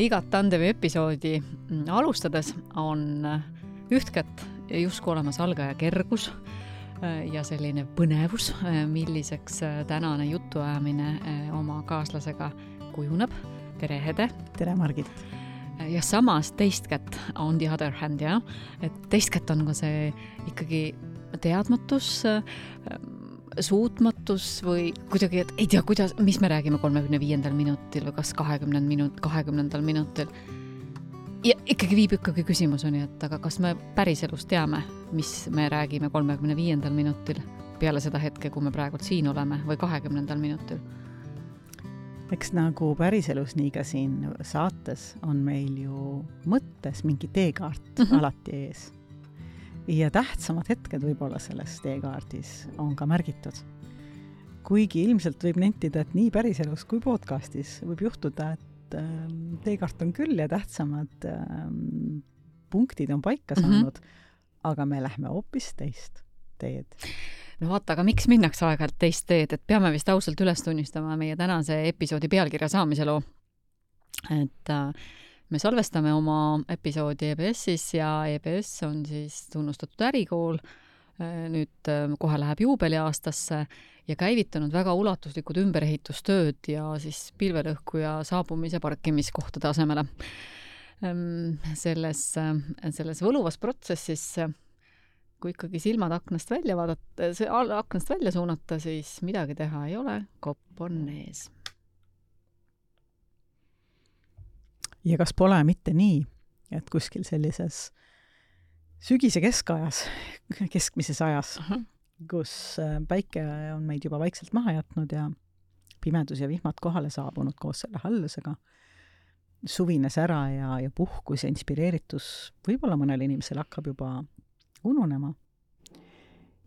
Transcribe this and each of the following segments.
Igat tandemi episoodi alustades on ühtkätt justkui olemas algaja kergus ja selline põnevus, milliseks tänane jutuajamine oma kaaslasega kujuneb. Tere, Hede! Tere, Margit! Ja samas teistkätt on the other hand, ja? Et teistkätt on ka see ikkagi teadmatus, suutmatus või kuidagi, et ei tea, mis me räägime 35. minutil või kas 20. minutil. Ja ikkagi viib küsimuseni, et aga kas me päriselus teame, mis me räägime 35. minutil peale seda hetke, kui me praegu siin oleme, või 20. minutil? Eks nagu päriselus nii ka siin saates on meil ju mõttes mingi teekaart alati ees. Ja tähtsamad hetked võib-olla selles teekaardis on ka märgitud. Kuigi ilmselt võib nentida, et nii päriselus kui podcastis võib juhtuda, et teekaart on küll ja tähtsamad punktid on paika saanud, aga me lähme hoopis teist teed. No vaata, aga miks minnakse aeg-ajalt teist teed, et peame vist ausalt üles tunnistama meie tänase episoodi pealkirja saamise loo. Et me salvestame oma episoodi EBS-is ja EBS on siis tunnustatud ärikool. Nüüd kohe läheb juubeliaastasse ja käivitanud väga ulatuslikud ümberehitustööd ja siis pilvelõhku ja saabumise parkimiskohtade asemele. Selles võluvas protsessis, kui ikkagi silmad aknast välja suunata, siis midagi teha ei ole, kopp on ees. Ja kas pole mitte nii, et kuskil sellises sügise keskajas, keskmises ajas, kus päike on meid juba vaikselt maha jätnud ja pimedus ja vihmad kohale saabunud koos selle hallusega, suvines ära ja puhkus ja inspireeritus võib-olla mõnel inimesel hakkab juba ununema.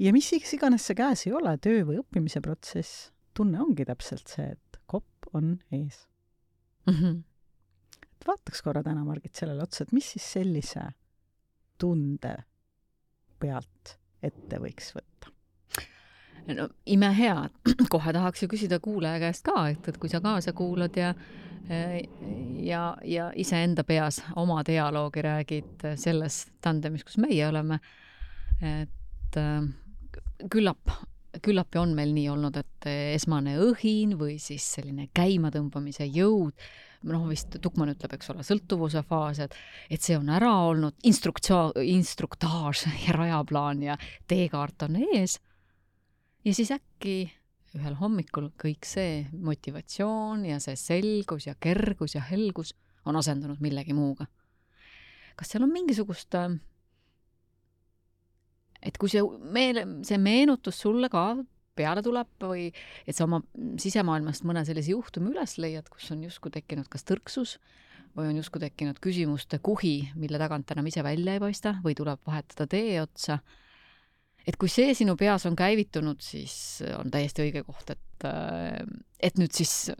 Ja mis iganes see käes ei ole, töö või õppimise protsess, tunne ongi täpselt see, et kopp on ees. Vaataks korra täna, Margit, sellele otsa, et mis siis sellise tunde pealt ette võiks võtta? No imehea, kohe tahaks ju küsida kuulaja käest ka, et kui sa kaasa kuulad ja ise enda peas oma dialoogi räägid selles tandemis, kus meie oleme, et küllap on meil nii olnud, et esmane õhin või siis selline käimatõmbamise jõud, vist Tukman ütleb, eks ole, sõltuvuse faas, et see on ära olnud, instruktaaž ja rajaplaan ja teekaart on ees. Ja siis äkki ühel hommikul kõik see motivatsioon ja see selgus ja kergus ja helgus on asendunud millegi muuga. Kas seal on mingisugust, et kui see meenutus sulle ka peale tuleb või et sa oma sisemaailmast mõne sellise juhtumi üles leiad, kus on justkui tekkinud kas tõrksus või on justkui tekkinud küsimuste kuhi, mille tagant enam ise välja ei paista või tuleb vahetada tee otsa. Et kui see sinu peas on käivitunud, siis on täiesti õige koht, et nüüd siis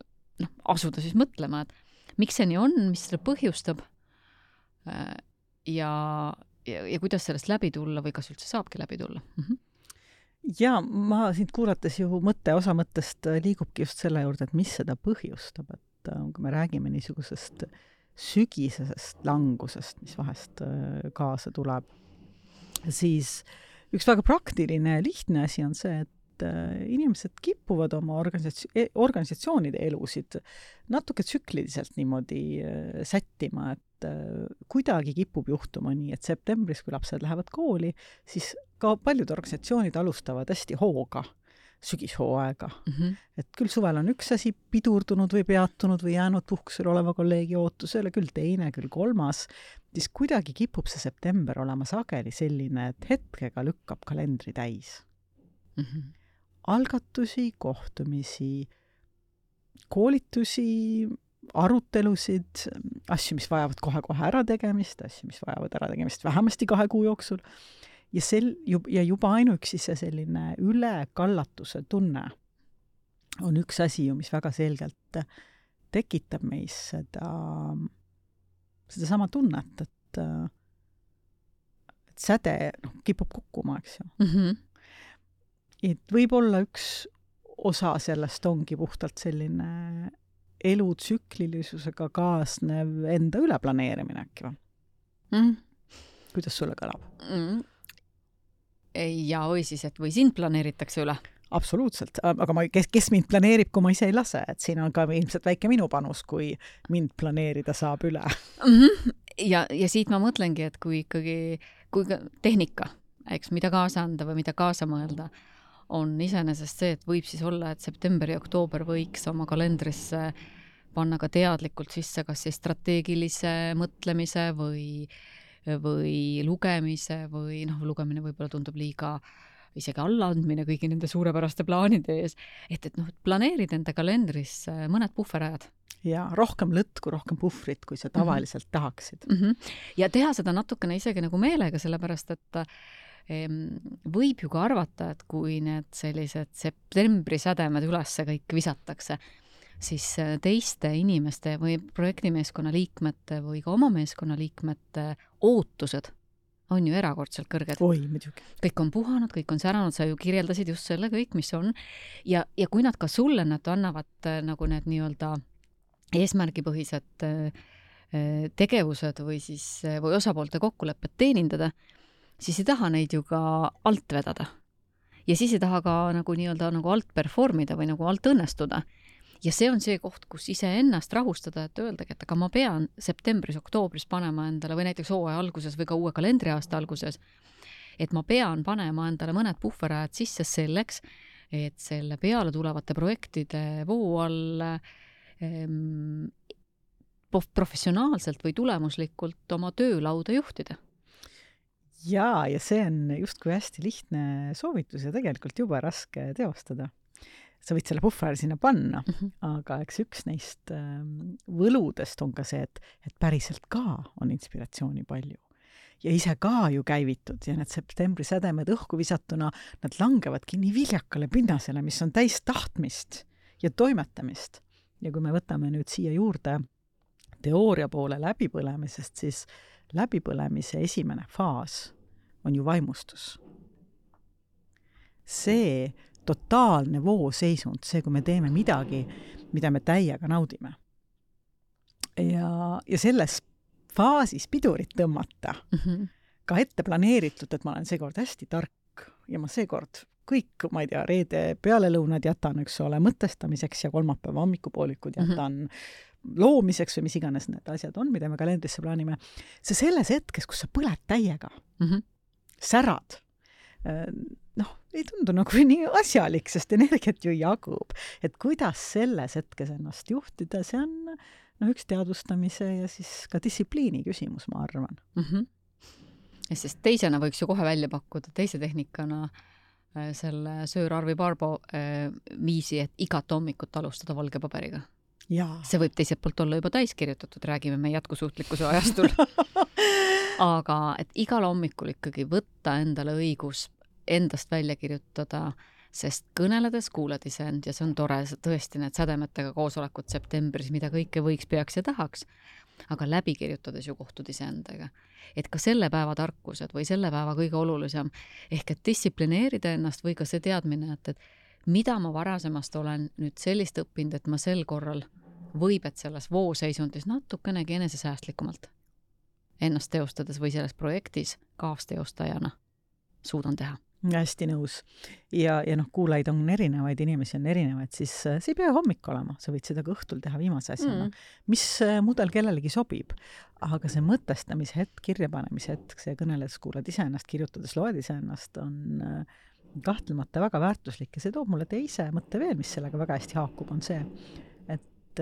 asuda siis mõtlema, et miks see nii on, mis selle põhjustab ja kuidas sellest läbi tulla või kas üldse saabki läbi tulla. Ja ma sind kuulates ju osa mõttest liigubki just selle juurde, et mis seda põhjustab, et kui me räägime niisugusest sügisesest langusest, mis vahest kaasa tuleb, siis üks väga praktiline ja lihtne asi on see, et inimesed kipuvad oma organisatsioonide elusid natuke tsükliliselt niimoodi sättima, et kuidagi kipub juhtuma nii, et septembris, kui lapsed lähevad kooli, siis ka paljud organisatsioonid alustavad hästi hooga, sügishooaega. Et küll suvel on üks asi pidurdunud või peatunud või jäänud puhkusel oleva kolleegi ootusele, küll teine, küll kolmas, siis kuidagi kipub see september olema sageli selline, et hetkega lükkab kalendri täis. Algatusi, kohtumisi, koolitusi, arutelusid, asju, mis vajavad kohe ära tegemist, asju, mis vajavad ära tegemist vähemasti 2 kuu jooksul. Ja juba ainuüksi see selline ülekallatuse tunne on üks asi, mis väga selgelt tekitab meis seda sama tunnet, et säde kipub kukkuma, eks ju. Et võib-olla üks osa sellest ongi puhtalt selline elutsüklilisusega kaasnev enda üleplaneerimine äkki või? Kuidas sulle kõlab? Ja või siis, et või sind planeeritakse üle? Absoluutselt, aga kes mind planeerib, kui ma ise ei lase, et siin on ka ilmselt väike minu panus, kui mind planeerida saab üle. Ja siit ma mõtlengi, et kui tehnika, eks, mida kaasa anda või mida kaasa mõelda, on iseenesest see, et võib siis olla, et september ja oktoober võiks oma kalendrisse panna ka teadlikult sisse kas siis strateegilise mõtlemise või lugemise või lugemine võib-olla tundub liiga isegi allaandmine kõigi nende suurepäraste plaanide ees, et planeerid enda kalendris mõned puhverajad. Ja rohkem lõtku, rohkem puhvrit, kui sa tavaliselt tahaksid. Ja teha seda natukene isegi nagu meelega, sellepärast et võib ju ka arvata, et kui need sellised septembri sädemed ülesse kõik visatakse, siis teiste inimeste või projektimeeskonna liikmete või ka oma meeskonna liikmete ootused on ju erakordselt kõrged. Oi, muidugi. Kõik on puhanud, kõik on säranud, sa ju kirjeldasid just selle kõik, mis on. Ja kui nad ka sulle nad annavad nagu need nii-öelda eesmärgipõhised tegevused või osapoolte kokkulepped teenindada, siis ei taha neid ju ka alt vedada. Ja siis ei taha ka nagu nii-öelda nagu alt performida või nagu alt õnnestuda. Ja see on see koht, kus iseennast rahustada, et öeldagi, et aga ma pean septembris, oktoobris panema endale või näiteks hooaja alguses või ka uue kalendriaasta alguses, et ma pean panema endale mõned puhverajad sisse selleks, et selle peale tulevate projektide voo all professionaalselt või tulemuslikult oma töölauda juhtida. Ja see on justkui hästi lihtne soovitus ja tegelikult juba raske teostada. Sa võid selle puhveri sinna panna, aga eks üks neist võludest on ka see, et päriselt ka on inspiratsiooni palju. Ja ise ka ju käivitud ja need septembri sädemed õhku visatuna, nad langevadki nii viljakale pinnasele, mis on täis tahtmist ja toimetamist. Ja kui me võtame nüüd siia juurde teooria poole läbipõlemisest, siis läbipõlemise esimene faas on ju vaimustus. See totaalne vooseisund, see, kui me teeme midagi, mida me täiega naudime. Ja selles faasis pidurit tõmmata, ka ette planeeritud, et ma olen seekord hästi tark ja ma seekord kõik, ma ei tea, reede pealelõunad jätan, eks ole, mõtestamiseks ja kolmapäeva hommikupoolikud jätan loomiseks või mis iganes need asjad on, mida me kalendrisse plaanime. See selles hetkes, kus sa põled täiega, särad, ei tundu nagu nii asjalik, sest energiat ju jagub. Et kuidas selles hetkes ennast juhtida, see on üks teadvustamise ja siis ka distsipliini küsimus, ma arvan. Ja sest teisena võiks ju kohe välja pakkuda teise tehnikana selle Sir Arvi Barbo viisi, et igat hommikut alustada valge paberiga. Jaa. See võib teiselt poolt olla juba täiskirjutatud, räägime me jätkusuutlikkuse ajastul. Aga et igal hommikul ikkagi võtta endale õigus endast välja kirjutada, sest kõneledes kuuled iseend ja see on tore, tõesti need sädemetega koosolekud septembris, mida kõike võiks, peaks ja tahaks, aga läbi kirjutades ju kohtud iseendaga. Et ka selle päeva tarkused või selle päeva kõige olulisem, ehk et distsiplineerida ennast või ka see teadmine, et mida ma varasemast olen nüüd sellist õppinud, et ma sel korral võib, et selles vooseisundis natukenegi enesesäästlikumalt ennast teostades või selles projektis kaasteostajana suudan teha. Hästi nõus. Ja kuulajaid on erinevaid, inimesi on erinevaid, siis see ei pea hommik olema, sa võid seda ka õhtul teha viimase asjana. Mis mudel kellelegi sobib, aga see mõtestamise hetk, kirjapanemise hetk, see kõneles kuulad iseennast, kirjutades loed iseennast, on kahtlemata väga väärtuslik ja see toob mulle teise mõtte veel, mis sellega väga hästi haakub, on see, et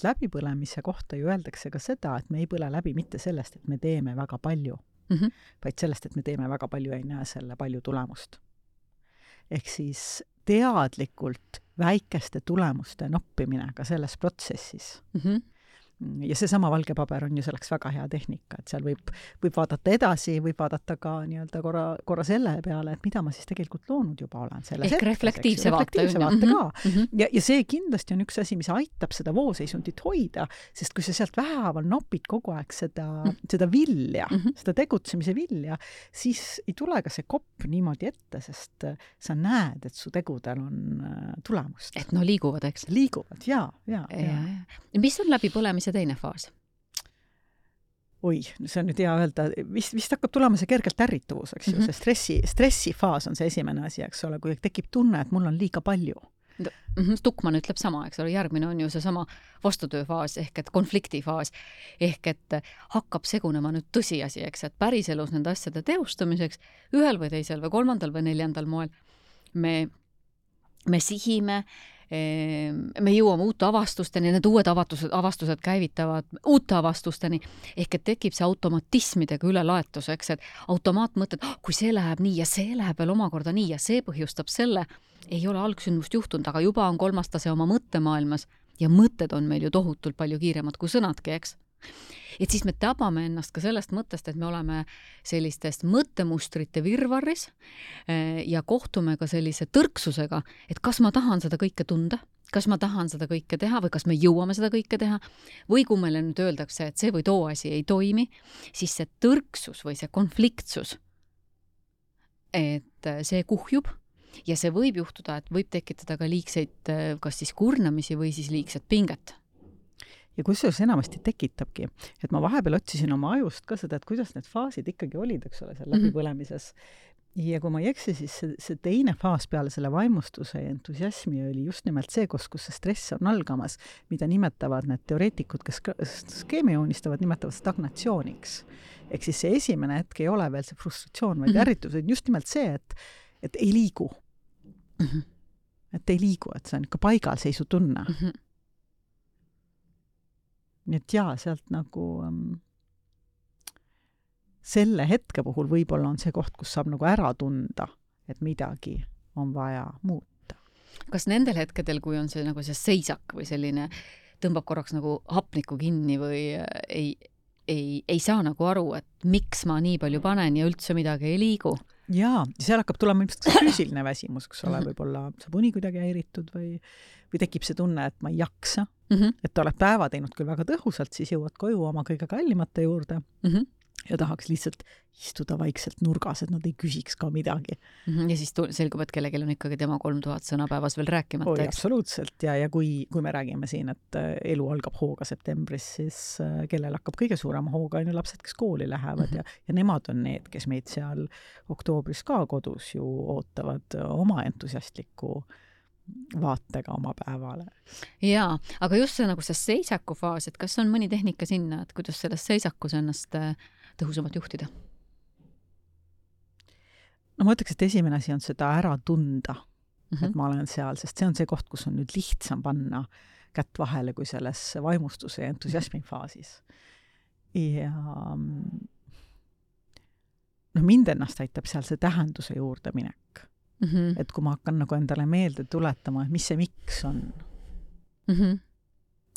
läbipõlemise kohta ju öeldakse ka seda, et me ei põle läbi mitte sellest, et me teeme väga palju, vaid sellest, et me teeme väga palju ja ei näe selle palju tulemust. Ehk siis teadlikult väikeste tulemuste noppimine ka selles protsessis, ja seesama valge paber on ju selleks väga hea tehnika, et seal võib vaadata edasi, võib vaadata ka nii-öelda korra selle peale, et mida ma siis tegelikult loonud juba olen. Ehk reflektiivse vaate ka. Ja see kindlasti on üks asi, mis aitab seda vooseisundit hoida, sest kui sa sealt vähehaaval nopid kogu aeg seda vilja, seda tegutsemise vilja, siis ei tule ka see kopp niimoodi ette, sest sa näed, et su tegudel on tulemust. Et no liiguvad, eks? Liiguvad, ja. Mis on läbipõlemise teine faas? Oi, see on nüüd hea öelda, vist hakkab tulema see kergelt ärrituvus, eks ju, see stressifaas on see esimene asi, eks ole, kui tekib tunne, et mul on liiga palju. Stukman ütleb sama, eks ole, järgmine on ju see sama vastutööfaas ehk et konfliktifaas ehk et hakkab segunema nüüd tõsiasi, eks, et päriselus nende asjade teostamiseks ühel või teisel või kolmandal või neljandal moel me sihime, me jõuame uute avastusteni, need uued avastused käivitavad uute avastusteni, ehk et tekib see automatismidega ülelaetus, eks, et automaatmõtted, kui see läheb nii ja see läheb veel omakorda nii ja see põhjustab selle, ei ole algsündmust juhtunud, aga juba on kolmas tase oma mõttemaailmas ja mõtted on meil ju tohutult palju kiiremad kui sõnadki, eks. Et siis me tabame ennast ka sellest mõttest, et me oleme sellistest mõttemustrite virvarris ja kohtume ka sellise tõrksusega, et kas ma tahan seda kõike tunda, kas ma tahan seda kõike teha või kas me jõuame seda kõike teha või kui meile nüüd öeldakse, et see või too asi ei toimi, siis see tõrksus või see konfliktsus, et see kuhjub ja see võib juhtuda, et võib tekitada ka liigseid kas siis kurnamisi või siis liigset pinget. Ja kusjuures enamasti tekitabki, et ma vahepeal otsisin oma ajust ka seda, et kuidas need faasid ikkagi olid, eks ole, seal läbipõlemises. Ja kui ma ei eksi, siis see teine faas peale selle vaimustuse ja entusiasmi oli just nimelt see, kus see stress on algamas, mida nimetavad need teoreetikud, kes skeemi joonistavad, nimetavad stagnatsiooniks. Ehk siis see esimene hetk ei ole veel see frustratsioon, vaid ärritus, just nimelt see, et ei liigu. Et ei liigu, et see on ikka paigalseisu tunne. Nii et jaa, sealt nagu selle hetke puhul võib-olla on see koht, kus saab nagu ära tunda, et midagi on vaja muuta. Kas nendel hetkedel, kui on see nagu see seisak või selline tõmbab korraks nagu hapniku kinni või ei saa nagu aru, et miks ma nii palju panen ja üldse midagi ei liigu? Jaa, seal hakkab tulema ilmselt füüsiline väsimus, kus ole võib-olla saab uni kuidagi häiritud või tekib see tunne, et ma ei jaksa, et oled päeva teinud küll väga tõhusalt, siis jõuad koju oma kõige kallimate juurde ja tahaks lihtsalt istuda vaikselt nurgas, et nad ei küsiks ka midagi. Ja siis selgub, et kellelgi on ikkagi tema 3000 sõna päevas veel rääkimata. Oi, absoluutselt, ja kui me räägime siin, et elu algab hooga septembris, siis kellel hakkab kõige suurema hooga on ju lapsed, kes kooli lähevad ja nemad on need, kes meid seal oktoobris ka kodus ju ootavad oma entusiastliku vaatega oma päevale. Jaa, aga just see nagu see seisaku faas, et kas on mõni tehnika sinna, et kuidas selles seisakus ennast tõhusamalt juhtida? No ma ütleks, et esimene asi on seda ära tunda, et ma olen seal, sest see on see koht, kus on nüüd lihtsam panna kätt vahele kui selles vaimustuse ja entusiasmi faasis. Ja mind ennast aitab seal see tähenduse juurde minek. Et kui ma hakkan nagu endale meelde tuletama, et mis see miks on,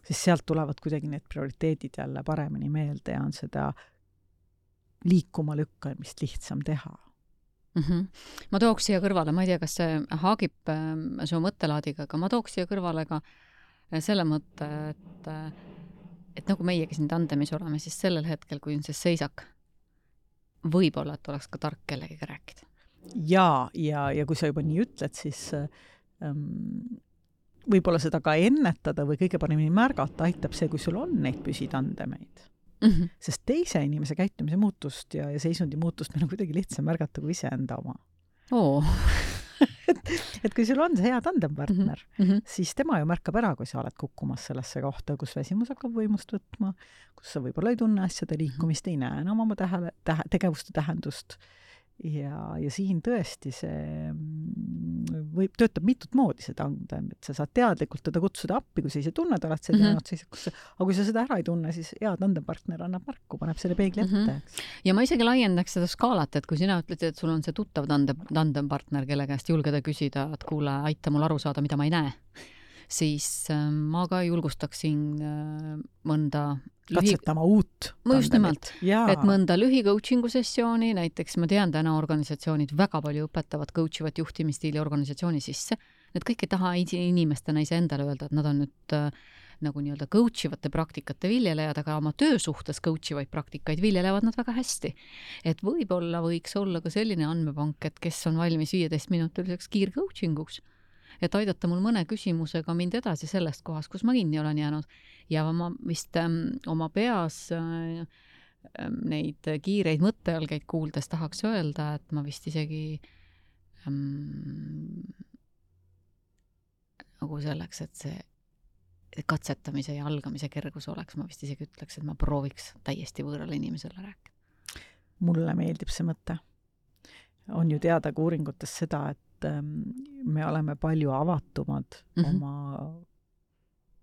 siis sealt tulevad kuidagi need prioriteedid jälle paremini meelde ja on seda liikuma lükkamist lihtsam teha. Ma tooks siia kõrvale, ma ei tea, kas see haagib su mõttelaadiga, aga ma tooks siia kõrvale ka selle mõtte, et nagu meiegi siin tandemis oleme, siis sellel hetkel, kui on see seisak, võib-olla, et oleks ka tark kellegiga rääkida. Ja kui sa juba nii ütled, siis võib-olla seda ka ennetada või kõige paremini märgata aitab see, kui sul on neid püsitandemeid. Sest teise inimese käitumise muutust ja seisundi muutust meil on kuidagi lihtsam märgata kui iseenda oma. Et kui sul on see hea tandempartner, siis tema ju märkab ära, kui sa oled kukkumas sellesse kohta, kus väsimus hakkab võimust võtma, kus sa võib-olla ei tunne asjade liikumist, ei näe enam oma tegevuste tähendust. Ja siin tõesti see töötab mitut moodi see tandem, et sa saad teadlikult teda kutsuda appi, kui sa ise tunned, oled see teadnud, aga kui sa seda ära ei tunne, siis hea tandempartner annab märku, paneb selle peegli ette. Ja ma isegi laiendaks seda skaalat, et kui sina ütled, et sul on see tuttav tandempartner, kelle käest julgeda küsida, et kuule, aita mul aru saada, mida ma ei näe. siis ma ka julgustaksin mõnda katsetama uut. Just nimelt, et mõnda lühi-coachingu sessiooni, näiteks ma tean täna organisatsioonid väga palju õpetavad coachivat juhtimisstiili organisatsiooni sisse. Need kõik ei taha inimestena ise endale öelda, et nad on nüüd nagu nii-öelda coachivate praktikate viljelejad, aga oma töösuhtes coachivaid praktikaid viljelevad nad väga hästi. Et võib-olla võiks olla ka selline andmepank, et kes on valmis 15-minutiliseks kiircoachinguks, et aidata mul mõne küsimusega mind edasi sellest kohast, kus ma kinni olen jäänud. Ja ma vist oma peas neid kiireid mõttealgeid kuuldes tahaks öelda, et ma vist isegi nagu selleks, et see katsetamise ja algamise kergus oleks, ma vist isegi ütleks, et ma prooviks täiesti võõrale inimesele rääkida. Mulle meeldib see mõte. On ju teada ka uuringutes seda, et me oleme palju avatumad oma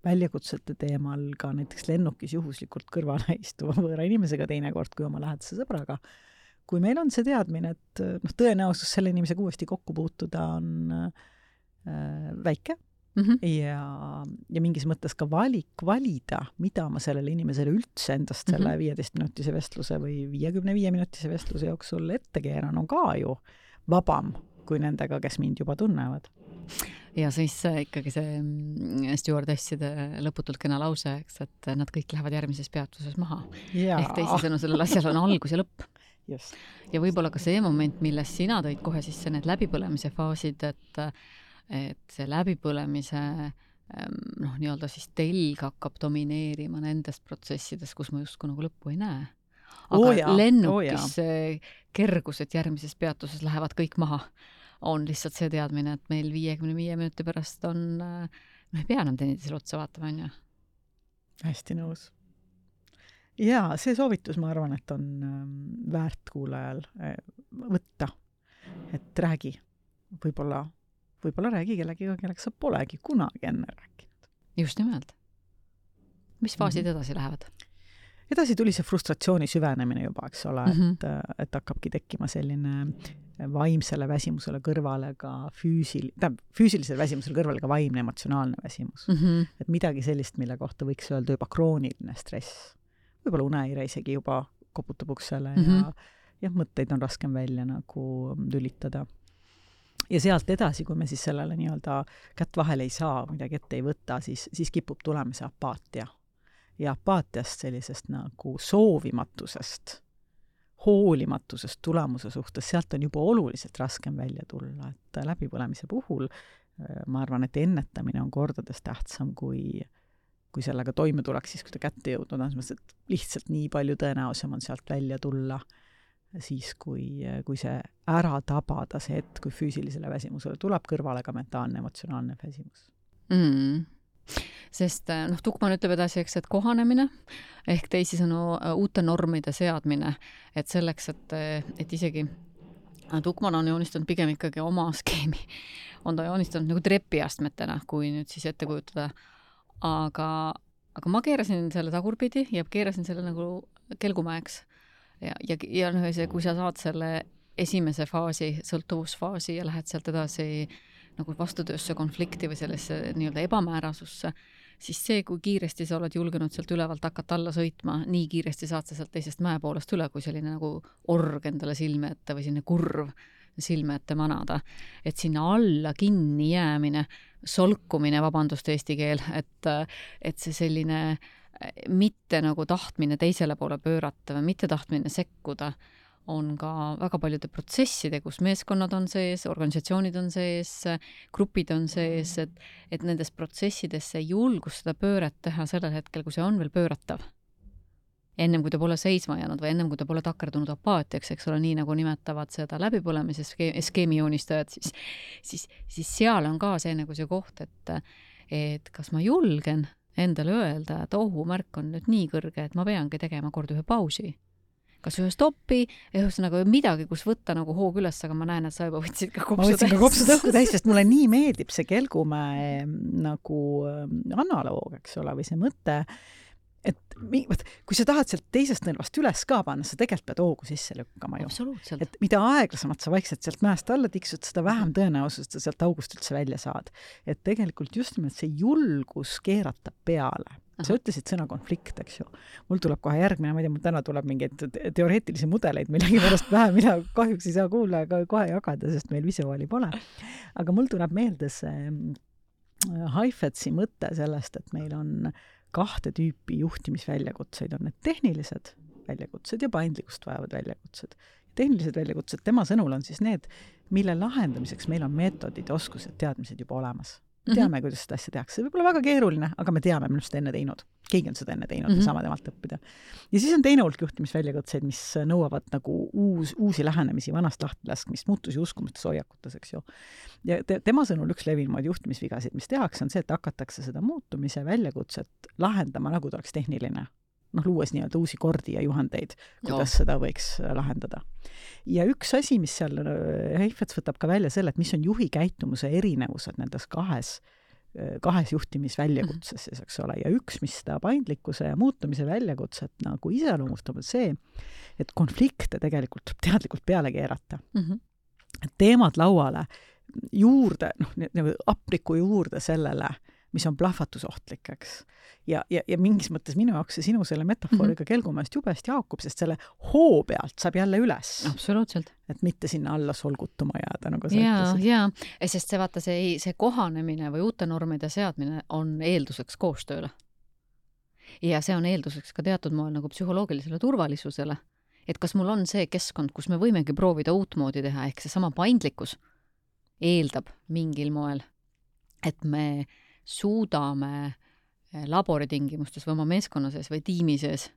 väljakutsete teemal ka näiteks lennukis juhuslikult kõrvale istuva võõra inimesega teinekord kui oma lähedase sõbraga. Kui meil on see teadmine, et tõenäosus selle inimesega uuesti kokku puutuda on väike, ja mingis mõttes ka valida, mida ma sellele inimesele üldse endast selle 15-minutise vestluse või 55-minutise vestluse jooksul ette keeran, on ka ju vabam kui nendega, kes mind juba tunnevad. Ja siis ikkagi see stewardesside lõputult kena lause, et nad kõik lähevad järgmises peatuses maha. Ehk teisisõnu sellel asjal on algus ja lõpp. Just. Ja võib-olla ka see moment, milles sina tõid kohe sisse need läbipõlemise faasid, et see läbipõlemise nii-öelda siis telg hakkab domineerima nendest protsessides, kus ma justkui nagu lõppu ei näe. Aga lennukis kergus, et järgmises peatuses lähevad kõik maha, on lihtsalt see teadmine, et meil 55 minuti pärast on, me ei pea enam teineteisele otsa vaatama, on ju? Hästi nõus. Ja see soovitus, ma arvan, et on väärt kuulajal võtta, et räägi, võib-olla räägi kellegiga, kelleks sa polegi kunagi enne rääkinud. Just nimelt. Mis faasid edasi lähevad? Edasi tuli see frustratsiooni süvenemine juba, eks ole, et hakkabki tekkima selline vaimsele väsimusele kõrvale ka füüsilisele väsimusele kõrvale ka vaimne emotsionaalne väsimus. Et midagi sellist, mille kohta võiks öelda juba krooniline stress. Võib-olla uneire isegi juba koputab uksele ja mõtteid on raskem välja nagu lülitada. Ja sealt edasi, kui me siis sellele nii-öelda kätt vahele ei saa, midagi ette ei võta, siis kipub tulema see apaatia. Ja apaatiast sellisest nagu soovimatusest, hoolimatusest tulemuse suhtes, sealt on juba oluliselt raskem välja tulla. Et läbipõlemise puhul ma arvan, et ennetamine on kordades tähtsam kui sellega toime tuleks, siis kui ta kätte jõudnud on, et lihtsalt nii palju tõenäosem on sealt välja tulla siis, kui see ära tabada see hetk, kui füüsilisele väsimusele tuleb kõrvale ka mentaalne, emotsionaalne väsimus. Sest Tukman ütleb edasi, et kohanemine ehk teisisõnu uute normide seadmine, et selleks, et isegi Tukman on joonistanud pigem ikkagi oma skeemi, on ta joonistanud nagu trepiastmetena, kui nüüd siis ette kujutada. Aga ma keerasin selle tagurpidi ja keerasin selle nagu kelgumäeks. Ja kui sa saad selle esimese faasi, sõltuvusfaasi ja lähed sealt edasi nagu vastutöösse konflikti või sellesse nii-öelda ebamäärasusse, siis see, kui kiiresti sa oled julgenud sealt ülevalt hakata alla sõitma, nii kiiresti saad sa sealt teisest mäepoolest üle, kui selline nagu org endale silme ette või selline kurv silme ette manada. Et sinna alla kinni jäämine, solkumine, vabandust eesti keel, et see selline mitte nagu tahtmine teisele poole pöörata või mitte tahtmine sekkuda on ka väga paljude protsesside, kus meeskonnad on sees, organisatsioonid on sees, grupid on sees, et nendes protsessidesse julgus seda pööret teha sellel hetkel, kui see on veel pööratav. Ennem kui ta pole seisma jäänud või ennem kui ta pole takerdunud apaatiaks, eks ole, nii nagu nimetavad seda läbipõlemise skeemi joonistajad, siis seal on ka see nagu see koht, et kas ma julgen endale öelda, et ohumärk on nüüd nii kõrge, et ma peangi tegema kord ühe pausi. Kas ühe stoppi, ühesõnaga midagi, kus võtta nagu hoog üles, aga ma näen, et sa juba võtsid ka kopsu täis. Ma võtsin ka kopsu tõhku täis, sest mulle nii meeldib see kelgumäe nagu analoog, eks ole, või see mõte, et kui sa tahad sealt teisest nõlvast üles ka panna, sa tegelikult pead hoogu sisse lükkama ju. Absoluutselt. Et mida aeglasemalt sa vaikselt sealt mäest alla tiksud, seda vähem tõenäosust sa sealt august üldse välja saad. Et tegelikult just nimelt see julgus keerata peale. Sa ütlesid sõna konflikt, eks ju. Mul tuleb kohe järgmine, ma ei tea, mul täna tuleb mingeid teoreetilisi mudeleid millegi pärast vähe, mida kahjuks ei saa kuulla ega kohe jagada, sest meil visuaali pole. Aga mul tuleb meelde see Heifetzi mõte sellest, et meil on 2 tüüpi juhtimisväljakutseid. On need tehnilised väljakutsed ja paindlikkust vajavad väljakutsed. Tehnilised väljakutsed, tema sõnul on siis need, mille lahendamiseks meil on meetodid, oskused, teadmised juba olemas. Teame, kuidas seda asja tehakse. See võib olla väga keeruline, aga me teame, me oleme seda enne teinud. Keegi on seda enne teinud, me saame temalt õppida. Ja siis on teine hulk juhtimisväljakutseid, mis nõuavad nagu uusi lähenemisi, vanast lahtelaskmist, muutusi uskumustes hoiakutes, eks ju. Ja tema sõnul üks levinumaid juhtimisvigasid, mis tehakse, on see, et hakatakse seda muutumise väljakutset lahendama, nagu ta oleks tehniline. Luues nii-öelda uusi kordi ja juhendeid, kuidas seda võiks lahendada. Ja üks asi, mis seal Heifetz võtab ka välja selle, et mis on juhi käitumuse erinevused nendes kahes juhtimisväljakutses, eks ole. Ja üks, mis seda paindlikkuse ja muutumise väljakutset nagu iseloomustab, on see, et konflikte tegelikult teadlikult peale keerata. Teemad lauale juurde, apriku juurde sellele, mis on plahvatusohtlik, eks. Ja mingis mõttes minu jaoks see sinu selle metafooriga kelgumäest jubest jaakub, sest selle hoo pealt saab jälle üles. Absoluutselt. Et mitte sinna alla solgutuma jääda, nagu sa ütlesid. Ja, sest see vaata, see kohanemine või uute normide seadmine on eelduseks koostööle. Ja see on eelduseks ka teatud moel nagu psühholoogilisele turvalisusele. Et kas mul on see keskkond, kus me võimegi proovida uut moodi teha, ehk see sama paindlikkus eeldab mingil moel, et me suudame laboritingimustes või oma meeskonna sees või tiimi sees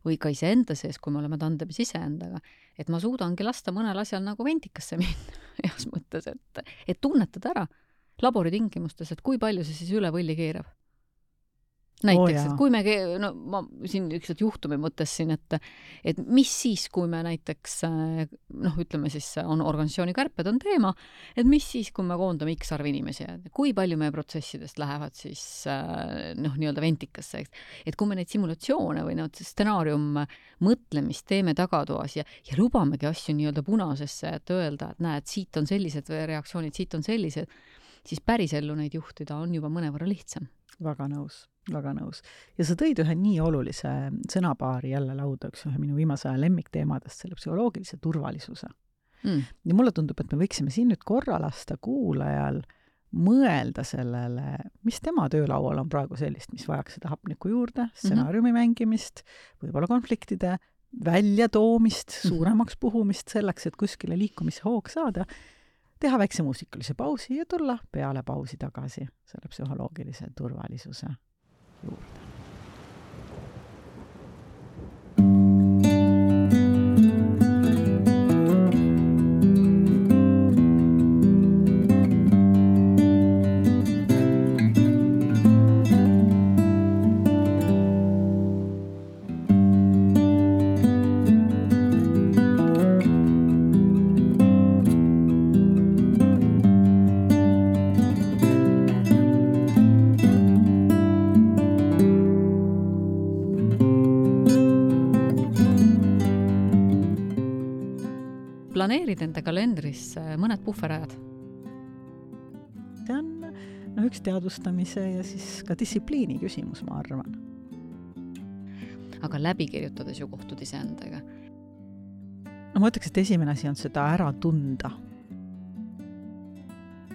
või ka iseenda sees, kui me oleme tandemis iseendaga, et ma suudangi lasta mõnel asjal nagu ventikasse minna heas mõttes, et tunnetada ära laboritingimustes, et kui palju see siis üle võlli keerab. Näiteks, et kui me, ma siin ükskord juhtumi mõtlesin, et mis siis, kui me näiteks, ütleme siis, on organisatsiooni kärped on teema, et mis siis, kui me koondame X arv inimesi, kui palju meie protsessidest lähevad siis nii-öelda ventikasse, et kui me neid simulatsioone või stsenaarium mõtlemist teeme tagatoas ja lubamegi asju nii-öelda punasesse, et öelda, et näed, siit on sellised reaktsioonid, siit on sellised, siis pärisellu neid juhtida on juba mõnevõrra lihtsam. Väga nõus. Ja sa tõid ühe nii olulise sõnapaari jälle lauda, ühe minu viimase aja lemmikteemadest, selle psühholoogilise turvalisuse. Ja mulle tundub, et me võiksime siin nüüd korra lasta kuulajal mõelda sellele, mis tema töölaual on praegu sellist, mis vajaks seda hapniku juurde, stsenaariumi mängimist, võib-olla konfliktide väljatoomist, suuremaks puhumist selleks, et kuskile liikumishoog saada, teha väikse muusikalise pausi ja tulla peale pausi tagasi selle psühholoogilise turvalisuse juurde. Planeerid enda kalendris mõned puhverajad? See on üks teadvustamise ja siis ka distsipliini küsimus, ma arvan. Aga läbi kirjutades ju kohtud iseendaga? Ma ütleks, et esimene asi on seda ära tunda.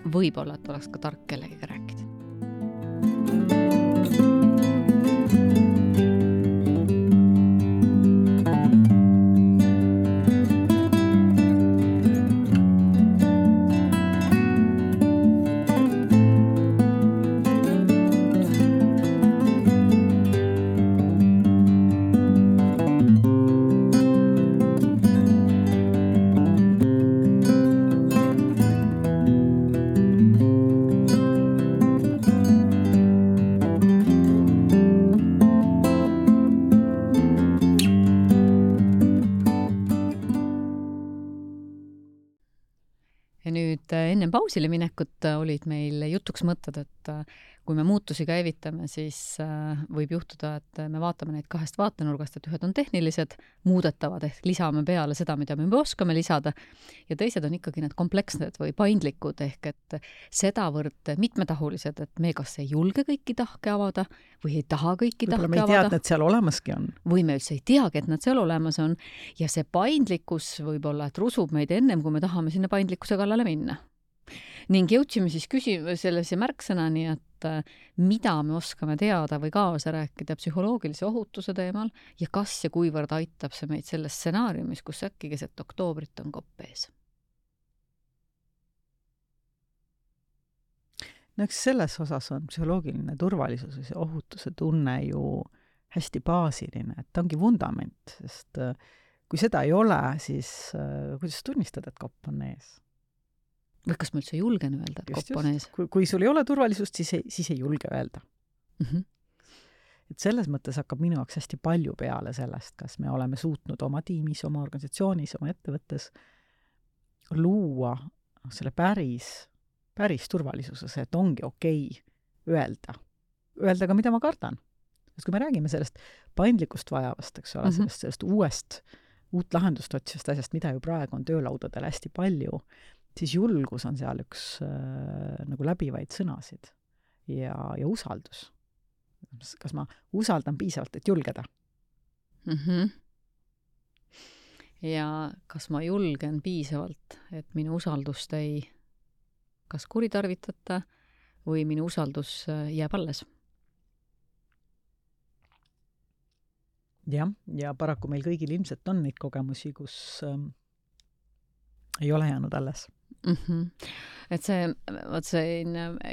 Võib-olla, et oleks ka tark kellegiga rääkida. Enne pausile minekut olid meil jutuks mõtted, et kui me muutusi käivitame, siis võib juhtuda, et me vaatame neid kahest vaatenurgast, et ühed on tehnilised, muudetavad, ehk lisame peale seda, mida me juba oskame lisada, ja teised on ikkagi need komplekssed või paindlikud, ehk et sedavõrd mitmetahulised, et me kas ei julge kõiki tahke avada või ei taha kõiki tahke avada. Võib-olla me ei tea, et need seal olemaski on. Või me üldse ei teagi, et nad seal olemas on. Ja see paindlikkus võib-olla, et rusub meid ennem, kui me tahame sinna paindlikkuse kallale minna. Ning jõudsime siis sellise märksõnani, et mida me oskame teada või kaasa rääkida psühholoogilise ohutuse teemal ja kas ja kuivõrd aitab see meid selles stsenaariumis, kus äkki keset oktoobrit on kopp ees. No eks selles osas on psühholoogiline turvalisus ja ohutuse tunne ju hästi baasiline, et ta ongi vundament, sest kui seda ei ole, siis kuidas tunnistada, et kopp on ees? Või kas ma üldse julgen öelda, et kopp on ees? Kui sul ei ole turvalisust, siis ei julge öelda. Et selles mõttes hakkab minu jaoks hästi palju peale sellest, kas me oleme suutnud oma tiimis, oma organisatsioonis, oma ettevõttes luua selle päris turvalisuses, et ongi okei öelda. Öelda ka, mida ma kardan. Sest kui me räägime sellest paindlikkust vajavast, eks ole, sellest uut lahendust otsivast asjast, mida ju praegu on töölaudadel hästi palju, siis julgus on seal üks nagu läbivaid sõnasid ja usaldus. Kas ma usaldan piisavalt, et julgeda? Ja kas ma julgen piisavalt, et minu usaldust ei kas kuritarvitata või minu usaldus jääb alles? Jah, ja paraku meil kõigil ilmselt on neid kogemusi, kus ei ole jäänud alles. Et see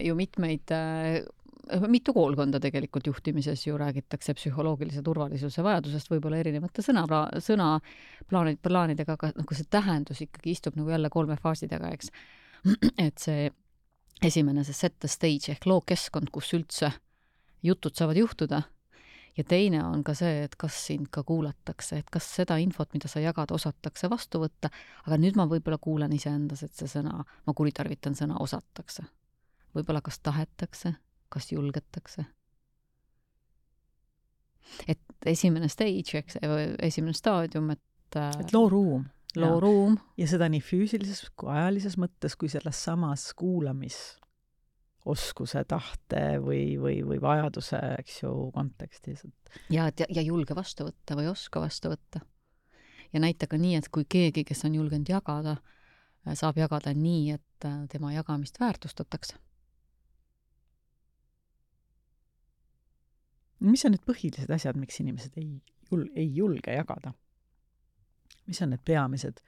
ju mitu koolkonda tegelikult juhtimises ju räägitakse psühholoogilise turvalisuse vajadusest võib-olla erinevate sõnaplaanidega, aga kui see tähendus ikkagi istub nagu jälle 3 faasi taga, eks. Et see esimene, see set the stage ehk lookeskkond, kus üldse jutud saavad juhtuda, ja teine on ka see, et kas sind ka kuulatakse, et kas seda infot, mida sa jagad, osatakse vastu võtta, aga nüüd ma võib-olla kuulen iseendas, et see sõna, ma kuritarvitan sõna osatakse. Võib-olla kas tahetakse, kas julgetakse. Et esimene stage, esimene staadium, et loo ruum. Loo ruum. Ja seda nii füüsilises kui ajalises mõttes, kui selles samas kuulamisoskuse, tahte või vajaduse, eks ju, kontekstis. Ja julge vastu võtta või oska vastu võtta. Ja näita ka nii, et kui keegi, kes on julgenud jagada, saab jagada nii, et tema jagamist väärtustatakse. Mis on need põhilised asjad, miks inimesed ei julge jagada? Mis on need peamised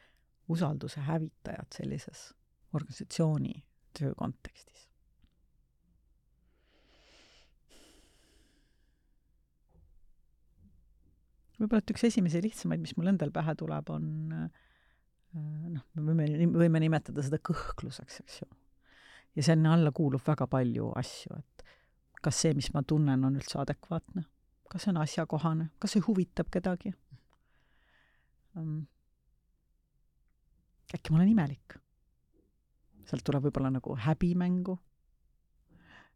usalduse hävitajad sellises organisatsiooni töö kontekstis? Võib-olla, et üks esimesi lihtsamaid, mis mul endal pähe tuleb, on me võime nimetada seda kõhkluseks, eks ju. Ja selle alla kuulub väga palju asju, et kas see, mis ma tunnen, on üldse adekvaatne, kas see on asjakohane, kas see huvitab kedagi. Äkki ma olen imelik. Sealt tuleb võib-olla nagu häbimängu.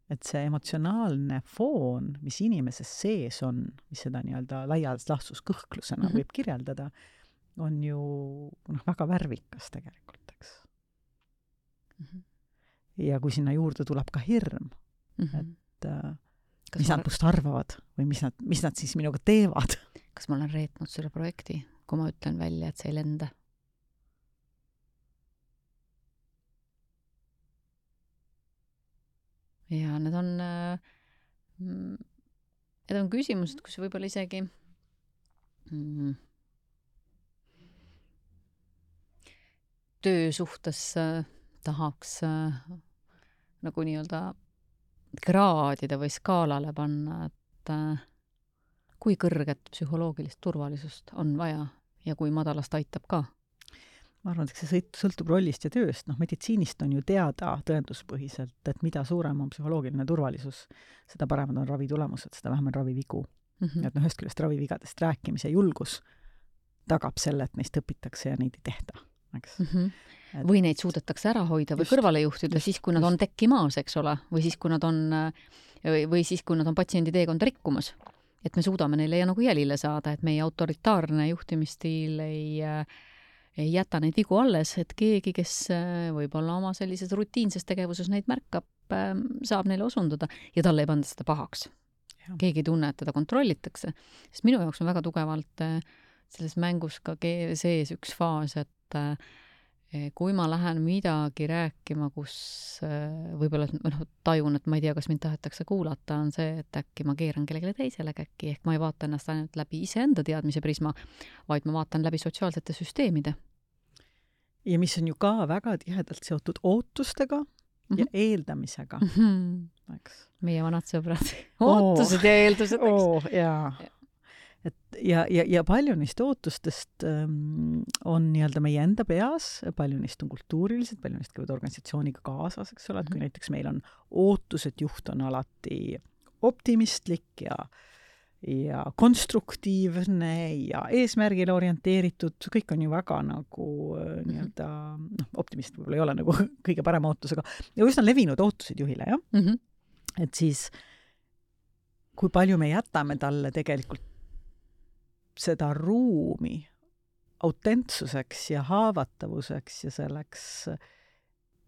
Et see emotsionaalne foon, mis inimeses sees on, mis seda nii-öelda laialt lahsus kõhklusena võib kirjeldada, on ju väga värvikas tegelikult, eks. Ja kui sinna juurde tuleb ka hirm, et mis nad must arvavad või mis nad siis minuga teevad. Kas ma olen reetnud selle projekti, kui ma ütlen välja, et see ei lenda? Ja need on küsimused, kus võib-olla isegi töö suhtes tahaks nagu nii-öelda kraadide või skaalale panna, et kui kõrget psühholoogilist turvalisust on vaja ja kui madalast aitab ka. Ma arvan, et see sõltub rollist ja tööst. Meditsiinist on ju teada tõenduspõhiselt, et mida suurem on psühholoogiline turvalisus, seda paremad on ravitulemused, seda vähem on ravivigu. Et ühest küljest ravivigadest rääkimise julgus tagab selle, et neist õpitakse ja neid ei tehta. Eks? Või neid suudetakse ära hoida või kõrvale juhtida siis, kui nad on tekkimaas, eks ole, või siis, kui nad on või siis, kui nad on patsiendi teekonda rikkumas, et me suudame neile nagu jälile saada, et meie autoritaarne juhtimisstiil ei jäta neid vigu alles, et keegi, kes võib-olla oma sellises rutiinses tegevuses neid märkab, saab neile osundada ja talle ei panda seda pahaks. Keegi ei tunne, et teda kontrollitakse. Sest minu jaoks on väga tugevalt selles mängus ka sees üks faas, et kui ma lähen midagi rääkima, kus võib-olla tajun, et ma ei tea, kas mind tahetakse kuulata, on see, et äkki ma keeran kellelegi teisele käkki, ehk ma ei vaata ennast ainult läbi iseenda teadmise prisma, vaid ma vaatan läbi sotsiaalsete süsteemide. Ja mis on ju ka väga tihedalt seotud ootustega ja eeldamisega. Eks. Meie vanad sõbrad. Ootused ja eeldused, eks. Jaa. Et ja palju neist ootustest on nii-öelda meie enda peas, palju neist on kultuurilised, palju neist käivad organisatsiooniga kaasas, eks ole, et kui näiteks meil on ootus, et juht on alati optimistlik ja konstruktiivne ja eesmärgile orienteeritud, kõik on ju väga nagu nii-öelda, optimist võib-olla ei ole nagu kõige parema ootusega, ja üsna levinud ootused juhile, jah? Et siis, kui palju me jätame talle tegelikult seda ruumi autentsuseks ja haavatavuseks ja selleks,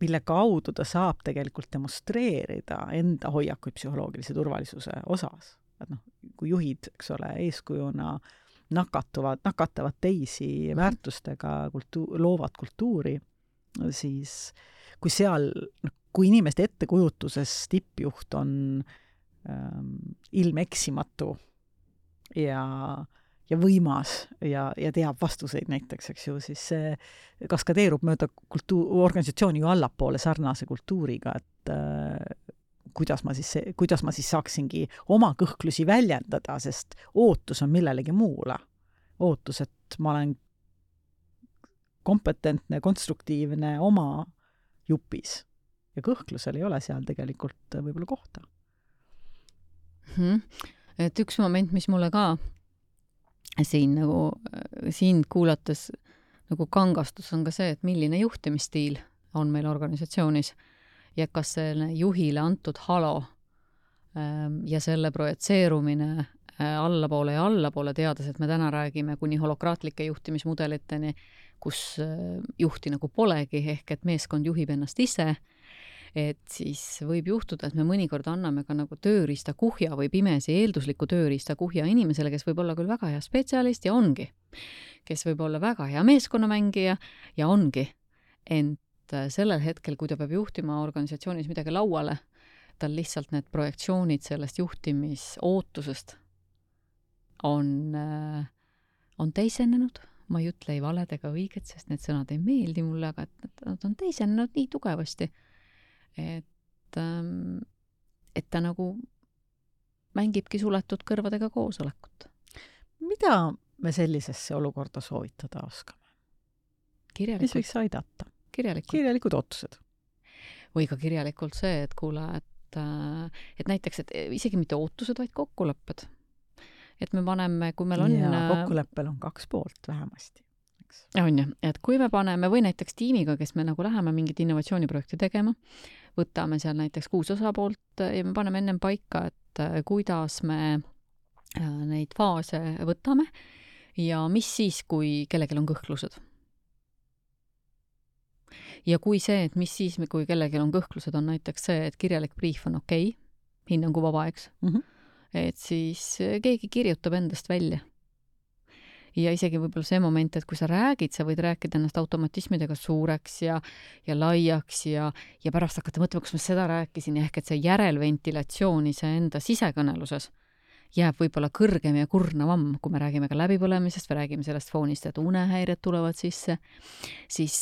mille kaudu ta saab tegelikult demonstreerida enda hoiakuid psühholoogilise turvalisuse osas. Et kui juhid, eks ole, eeskujuna nakatavad teisi väärtustega, loovad kultuuri, siis kui inimeste ettekujutuses tippjuht on ilmeksimatu ja võimas ja teab vastuseid näiteks, eks ju, siis see kaskadeerub mööda organisatsiooni ju allapoole sarnase kultuuriga, et kuidas ma siis saaksingi oma kõhklusi väljendada, sest ootus on millelegi muule. Ootus, et ma olen kompetentne, konstruktiivne oma jupis. Ja kõhklusel ei ole seal tegelikult võib-olla kohta. Et üks moment, mis mulle ka siin kuulates nagu kangastus on ka see, et milline juhtimisstiil on meil organisatsioonis ja kas selle juhile antud halo ja selle projitseerumine allapoole, teades, et me täna räägime kuni holokraatlike juhtimismudeliteni, kus juhti nagu polegi, ehk et meeskond juhib ennast ise, et siis võib juhtuda, et me mõnikord anname ka nagu tööriista kuhja või pimesi eeldusliku tööriista kuhja inimesele, kes võib olla küll väga hea spetsialist ja ongi, kes võib olla väga hea meeskonnamängija ja ongi, ent sellel hetkel, kui ta peab juhtima organisatsioonis midagi lauale, tal lihtsalt need projektsioonid sellest juhtimisootusest on teisenenud. Ma ei ütle ei valed ega õiget, sest need sõnad ei meeldi mulle, aga nad on teisenenud nii tugevasti, et ta nagu mängibki suletud kõrvadega koosolekut. Mida me sellisesse olukorda soovitada oskame? Mis võiks aidata? Kirjalikud ootused. Või ka kirjalikult see, et kuule, et näiteks, et isegi mitte ootused, vaid kokkulepped. Et me paneme, kui meil on... Ja kokkuleppel on 2 poolt vähemasti. On ju, et kui me paneme, või näiteks tiimiga, kes me nagu läheme mingit innovatsiooniprojekti tegema, võtame seal näiteks 6 osapoolt ja me paneme ennem paika, et kuidas me neid faase võtame ja mis siis, kui kellelgi on kõhklused. Ja kui see, et mis siis, kui kellelgi on kõhklused, on näiteks see, et kirjalik briif on okei, hinnangu vaba, eks, et siis keegi kirjutab endast välja. Ja isegi võib-olla see moment, et kui sa räägid, sa võid rääkida ennast automatismidega suureks ja laiaks ja pärast hakata mõtlema, kus ma seda rääkisin, ehk et see järelventilatsioon iseenda sisekõneluses jääb võib-olla kõrgem ja kurnavam, kui me räägime ka läbipõlemisest, või räägime sellest foonist, et unehäired tulevad sisse, siis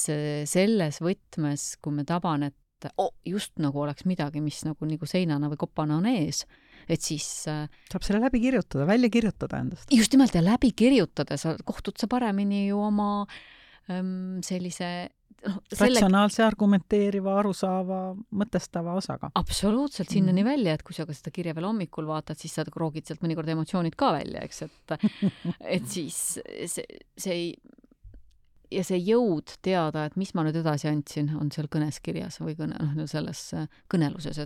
selles võtmes, kui me taban, et just nagu oleks midagi, mis nagu seinana või kopana on ees, et siis... Saab selle läbi kirjutada, välja kirjutada endast. Just nimelt, ja läbi kirjutada, kohtud sa paremini ju oma sellise... ratsionaalse, argumenteeriva, arusaava, mõtestava osaga. Absoluutselt, sinnani välja, et kui sa ka seda kirja veel hommikul vaatad, siis sa roogid sealt mõnikord emotsioonid ka välja, eks, et siis see jõud teada, et mis ma nüüd edasi andsin, on seal kõnes kirjas või selles kõneluses,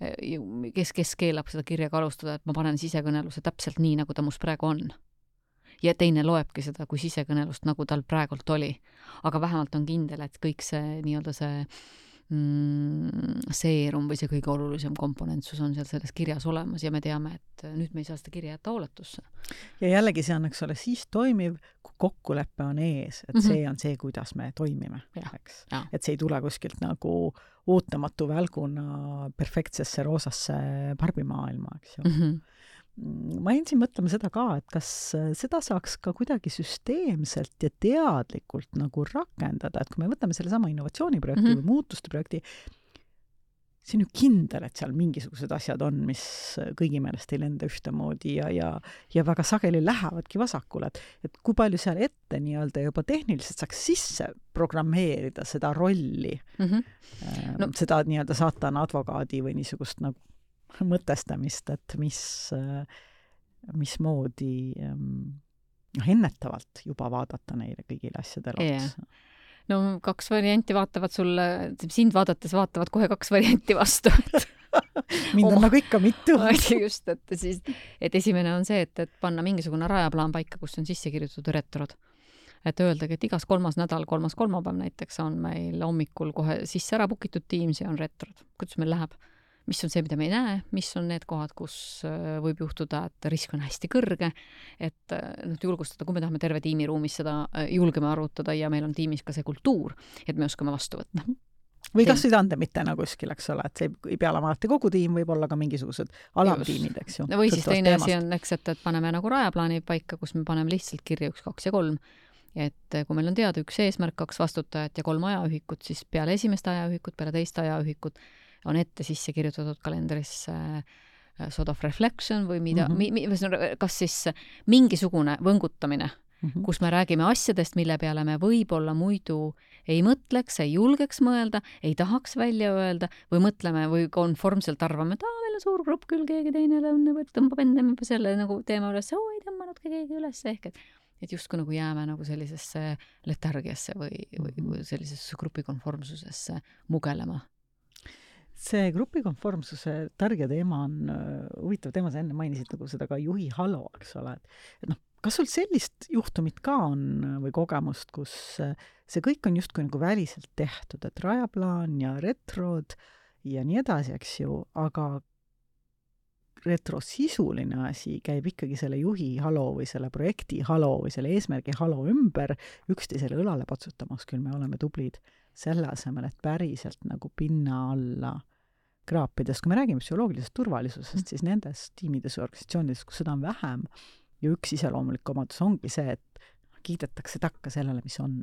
kes keelab seda kirja ka alustada, et ma panen sisekõneluse täpselt nii, nagu ta mus praegu on. Ja teine loebki seda kui sisekõnelust, nagu tal praegult oli. Aga vähemalt on kindel, et kõik see nii-öelda see seerum või see kõige olulisem komponentsus on seal selles kirjas olemas ja me teame, et nüüd me ei saa seda kirja jätta hooletusse. Ja jällegi see on, eks ole, siis toimiv, kui kokkulepe on ees, et see on see, kuidas me toimime. Eks? Et see ei tule kuskilt nagu ootamatu välguna perfektsesse roosasse barbimaailma, eks ju. Ma jäin siin mõtlema seda ka, et kas seda saaks ka kuidagi süsteemselt ja teadlikult nagu rakendada, et kui me võtame selle sama innovatsiooniprojekti või muutuste projekti, see on ju kindel, et seal mingisugused asjad on, mis kõigi meelest ei lenda ühtemoodi ja väga sageli lähevadki vasakule, et kui palju seal ette nii-öelda juba tehniliselt saaks sisse programmeerida seda rolli, seda nii-öelda saatana advokaadi või niisugust nagu mõtestamist, et mismoodi ennetavalt juba vaadata neile kõigile asjadele otsa. No 2 varianti vaatavad sulle, sind vaadates vaatavad kohe 2 varianti vastu. Mind on nagu ikka mitu. Just, et esimene on see, et panna mingisugune rajaplaan paika, kus on sisse kirjutatud retrod. Et öeldagi, et igas 3. nädal, 3. kolmapäev näiteks on meil hommikul kohe sisse ära bukitud Teams ja on retrod. Kuidas meil läheb? Mis on see, mida me ei näe, mis on need kohad, kus võib juhtuda, et risk on hästi kõrge, et julgustada, kui me tahame terve tiimi ruumis seda julgeme arutada ja meil on tiimis ka see kultuur, et me oskame vastu võtta. Või kas või tandemitena kuskil, eks ole, et see ei pea olema alati kogu tiim, võib olla ka mingisugused alamtiimid, eks ju. Või siis teine asi on, eks, et paneme nagu rajaplaani paika, kus me paneme lihtsalt kirja 1, 2 ja 3. Et kui meil on teada 1 eesmärk, 2 vastutajat ja 3 ajaühikut, siis peale esimest ajaühikut, peale teist ajaühikut on ette sisse kirjutatud kalendrisse sort of reflection või kas siis mingisugune võngutamine, kus me räägime asjadest, mille peale me võib-olla muidu ei mõtleks, ei julgeks mõelda, ei tahaks välja öelda või mõtleme või konformselt arvame, et meil on suur grupp küll, keegi teine tõmbab enne selle nagu teema üles, ei tõmbanudki keegi üles ehk, et justkui nagu jääme nagu sellisesse letargiasse või sellisesse grupikonformsusesse mugelema. See grupikonformsuse targe teema on huvitav teema, sa enne mainisid nagu seda ka juhi halo, eks ole. Et kas sul sellist juhtumit ka on või kogemust, kus see kõik on justkui nagu väliselt tehtud, et rajaplaan ja retrod ja nii edasi, eks ju, aga retrosisuline asi käib ikkagi selle juhi halo või selle projekti halo või selle eesmärgi halo ümber üksteisele õlale patsutamas, küll me oleme tublid selle asemel, et päriselt nagu pinna alla kraapides. Kui me räägime psühholoogilisest turvalisusest, siis nendes tiimides ja organisatsioonides, kus seda on vähem ja üks iseloomulik omadus ongi see, et kiidetakse takka sellele, mis on.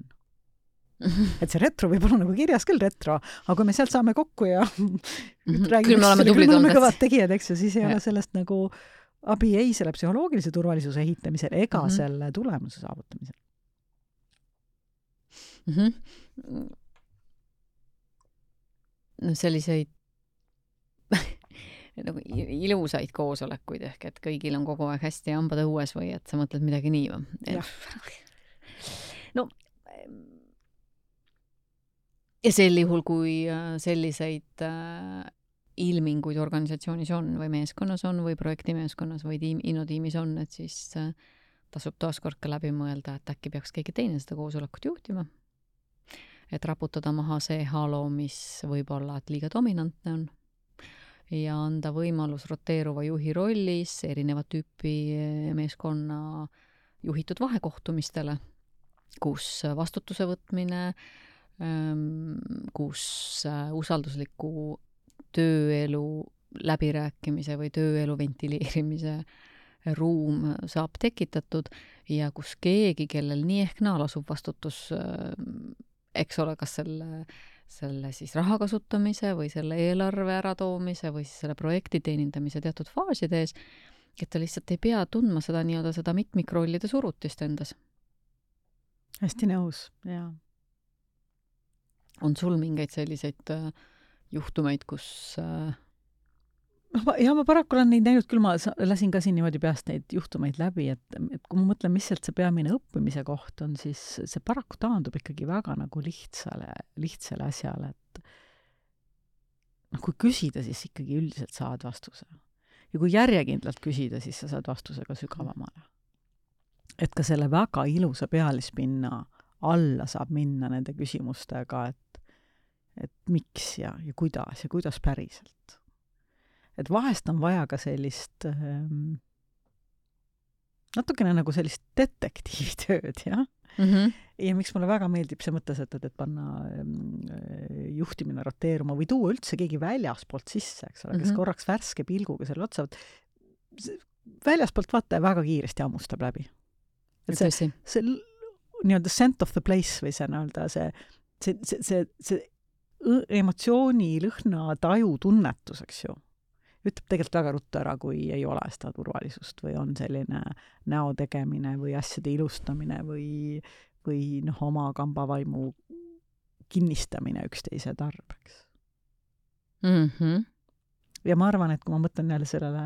Et see retro võib olla nagu kirjas küll retro, aga kui me sealt saame kokku ja küll me oleme kõvad tegijad, eks ju, siis ei ole sellest nagu abi ei selle psühholoogilise turvalisuse ehitamisel ega selle tulemuse saavutamisel. No selliseid nagu ilusaid koosolekuid ehk, et kõigil on kogu aeg hästi hambad õues või et sa mõtled midagi nii või? No ja sel juhul, kui selliseid ilminguid organisatsioonis on või meeskonnas on või projektimeeskonnas või innotiimis on, et siis tasub taaskord ka läbi mõelda, et äkki peaks keegi teine seda koosolekut juhtima. Et raputada maha see halo, mis võib olla, et liiga dominantne on ja anda võimalus roteeruva juhi rollis erineva tüüpi meeskonna juhitud vahekohtumistele, kus vastutuse võtmine, kus usaldusliku tööelu läbirääkimise või tööelu ventileerimise ruum saab tekitatud ja kus keegi, kellel nii ehk naa lasub vastutus, eks ole, kas selle siis raha kasutamise või selle eelarve äratoomise või siis selle projekti teenindamise teatud faasides, et ta lihtsalt ei pea tundma seda nii-öelda seda mitmikrollide surutist endas. Hästi nõus, jaa. On sul mingeid selliseid juhtumeid, kus Ja ma paraku olen neid näinud, küll ma lasin ka siin niimoodi peast neid juhtumeid läbi, et kui ma mõtlen, mis sealt see peamine õppimise koht on, siis see paraku taandub ikkagi väga nagu lihtsale asjale, et kui küsida, siis ikkagi üldiselt saad vastuse. Ja kui järjekindlalt küsida, siis sa saad vastuse ka sügavamale. Et ka selle väga ilusa pealispinna alla saab minna nende küsimustega, et miks ja kuidas päriselt. Et vahest on vaja ka sellist natukene nagu sellist detektiivitööd, jah? Ja miks mulle väga meeldib see mõttesetted, et panna juhtimine roteeruma või tuua üldse keegi väljaspoolt sisse, eks ole, kes korraks värske pilguga selle otsa, väljaspoolt vaataja väga kiiresti hammustab läbi. Et see nii-öelda scent of the place või see nii-öelda see emotsiooni, lõhna, taju tunnetus, eks ju, ütleb tegelikult väga ruttu ära, kui ei ole seda turvalisust või on selline näo tegemine või asjade ilustamine või oma kambavaimu kinnistamine üksteise tarbeks. Ja ma arvan, et kui ma mõtlen jälle sellele,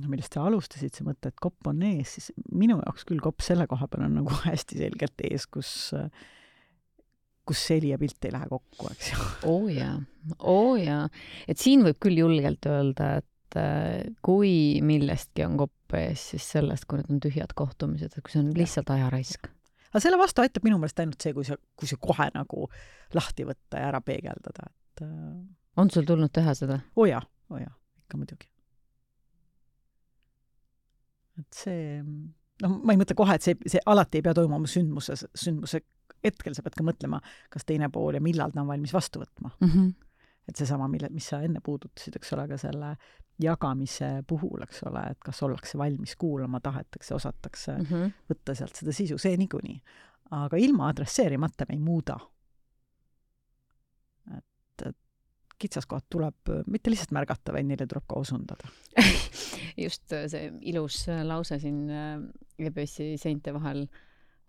millest sa alustasid, see mõte, et kopp on ees, siis minu jaoks küll kopp selle koha peal on nagu hästi selgelt ees, kus seli ja pilt ei lähe kokku, eks ju. Jaa. Et siin võib küll julgelt öelda, et kui millestki on kopp ees, siis sellest, kui need on tühjad kohtumised, et kui see on lihtsalt ajaraisk. Aga selle vastu aitab minu meelest ainult see, kui see kohe nagu lahti võtta ja ära peegeldada. Et, on sul tulnud teha seda? Jaa, ikka muidugi. Et see, ma ei mõtle kohe, et see alati ei pea toimuma sündmuse hetkel, sa pead ka mõtlema, kas teine pool ja millal ta on valmis vastu võtma. Et seesama, mis sa enne puudutasid, eks ole, ka selle jagamise puhul, eks ole, et kas ollakse valmis kuulama, tahetakse, osatakse võtta sealt seda sisu, see niikuinii. Aga ilma adresseerimata me ei muuda. Et kitsaskohad tuleb mitte lihtsalt märgata, vaid neile tuleb ka osundada. Just see ilus lause siin EBS-i seinte vahel